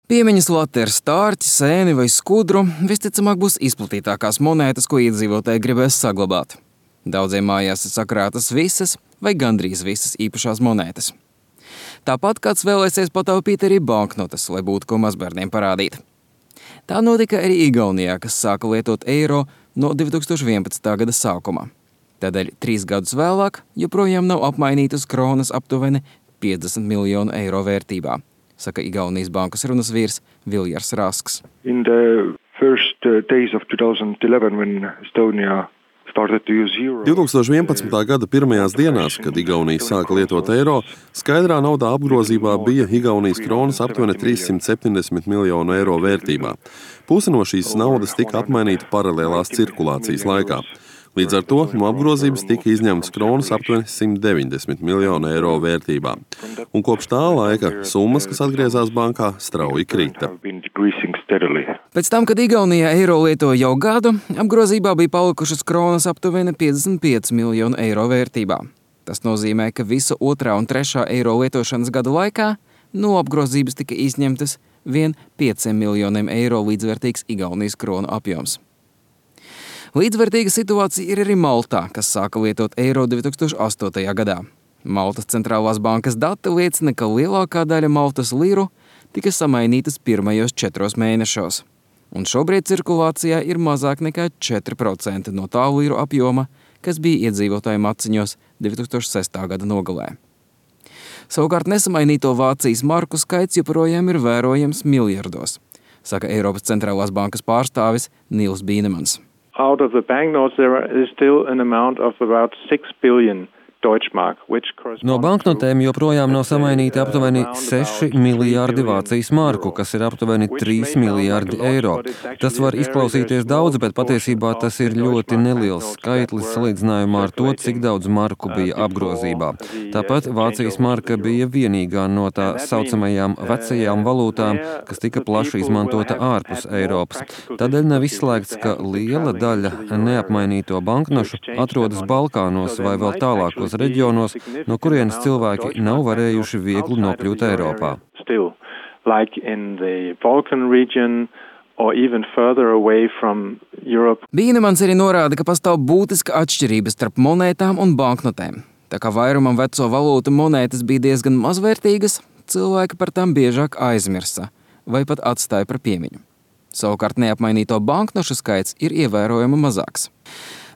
Piemiņas late ar stārķi, sēni vai skudru visticamāk būs izplatītākās monētas, ko iedzīvotāji gribēs saglabāt. Daudziem mājās ir sakrātas visas vai gandrīz visas īpašās monētas. Tāpat kāds vēlēsies pataupīt arī banknotes, lai būtu ko mazbērniem parādīt. Tā notika arī Igaunijā, kas sāka lietot eiro no 2011. gada sākuma. Tādēļ 3 gadus vēlāk joprojām nav apmainītas kronas aptuveni 50 miljonu eiro vērtībā, saka Igaunijas bankas runas vīrs Viljars Rasks. In the first days of 2011 when Estonia 2011. gada pirmajās dienās, kad Igaunija sāka lietot eiro, skaidrā naudā apgrozībā bija Igaunijas kronas aptuveni 370 miljonu eiro vērtībā. Puse no šīs naudas tika apmainīta paralēlās cirkulācijas laikā. Līdz ar to no apgrozības tika izņemtas kronas aptuveni 190 miljonu eiro vērtībā. Un kopš tā laika summas, kas atgriezās bankā, strauji krita. Pēc tam, kad Igaunijā eiro lietoja jau gadu, apgrozībā bija palikušas kronas aptuveni 55 miljonu eiro vērtībā. Tas nozīmē, ka visu 2. un 3. eiro lietošanas gadu laikā no apgrozības tika izņemtas vien 5 miljoniem eiro līdzvērtīgs Igaunijas kronu apjoms. Līdzvērtīga situācija ir arī Maltā, kas sāka lietot eiro 2008. gadā. Maltas centrālās bankas dati liecina, ka lielākā daļa Maltas liru tika samainītas pirmajos 4 mēnešos. Un šobrīd cirkulācijā ir mazāk nekā 4% no tā liru apjoma, kas bija iedzīvotāju maciņos 2006. gada nogalē. Savukārt nesamainīto Vācijas marku skaits joprojām ir vērojams miljardos, saka Eiropas centrālās bankas pārstāvis Nils Bīnemans. Out of the banknotes, there is still an amount of about 6 billion Deutschmark, No banknotēm joprojām nav samainīti aptuveni 6 miljārdi Vācijas marku, kas ir aptuveni 3 miljārdi eiro. Tas var izklausīties daudz, bet patiesībā tas ir ļoti neliels skaitlis salīdzinājumā ar to, cik daudz marku bija apgrozībā. Tāpat Vācijas marka bija vienīgā no tā saucamajām vecajām valūtām, kas tika plaši izmantota ārpus Eiropas. Tādēļ nav izslēgts, ka liela daļa neapmainīto banknošu atrodas Balkānos vai vēl tālākos reģionos, no kurienes cilvēki nav varējuši viegli nokļūt Eiropā. Bīnemans arī norāda, ka pastāv būtiska atšķirība starp monētām un banknotēm. Tā kā vairumam veco valūtu monētas bija diezgan mazvērtīgas, cilvēki par tām biežāk aizmirsa vai pat atstāja par piemiņu. Savukārt neapmainīto banknošu skaits ir ievērojami mazāks.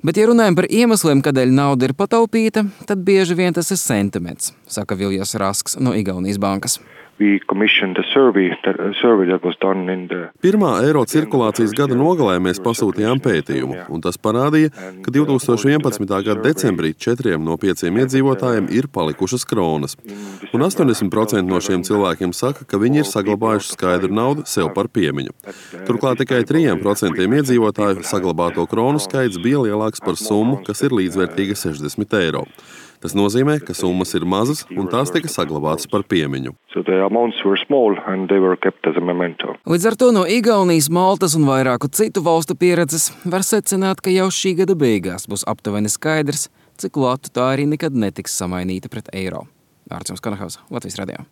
Bet, ja runājam par iemesliem, kādēļ nauda ir pataupīta, tad bieži vien tas ir sentiments, saka Viljars Rasks no Igaunijas bankas. Pirmā eiro cirkulācijas gada nogalē mēs pasūtījām pētījumu, un tas parādīja, ka 2011. gada decembrī 4 no 5 iedzīvotājiem ir palikušas kronas. Un 80% no šiem cilvēkiem saka, ka viņi ir saglabājuši skaidru naudu sev par piemiņu. Turklāt tikai 3% iedzīvotāju saglabāto kronu skaits bija lielāks par summu, kas ir līdzvērtīga 60 eiro. Tas nozīmē, ka summas ir mazas un tās tika saglabātas par piemiņu. Līdz ar to no Igaunijas, Maltas un vairāku citu valstu pieredzes var secināt, ka jau šī gada beigās būs aptuveni skaidrs, cik latu tā arī nekad netiks samainīta pret eiro. Ārčuns Kanahaus, Latvijas radio.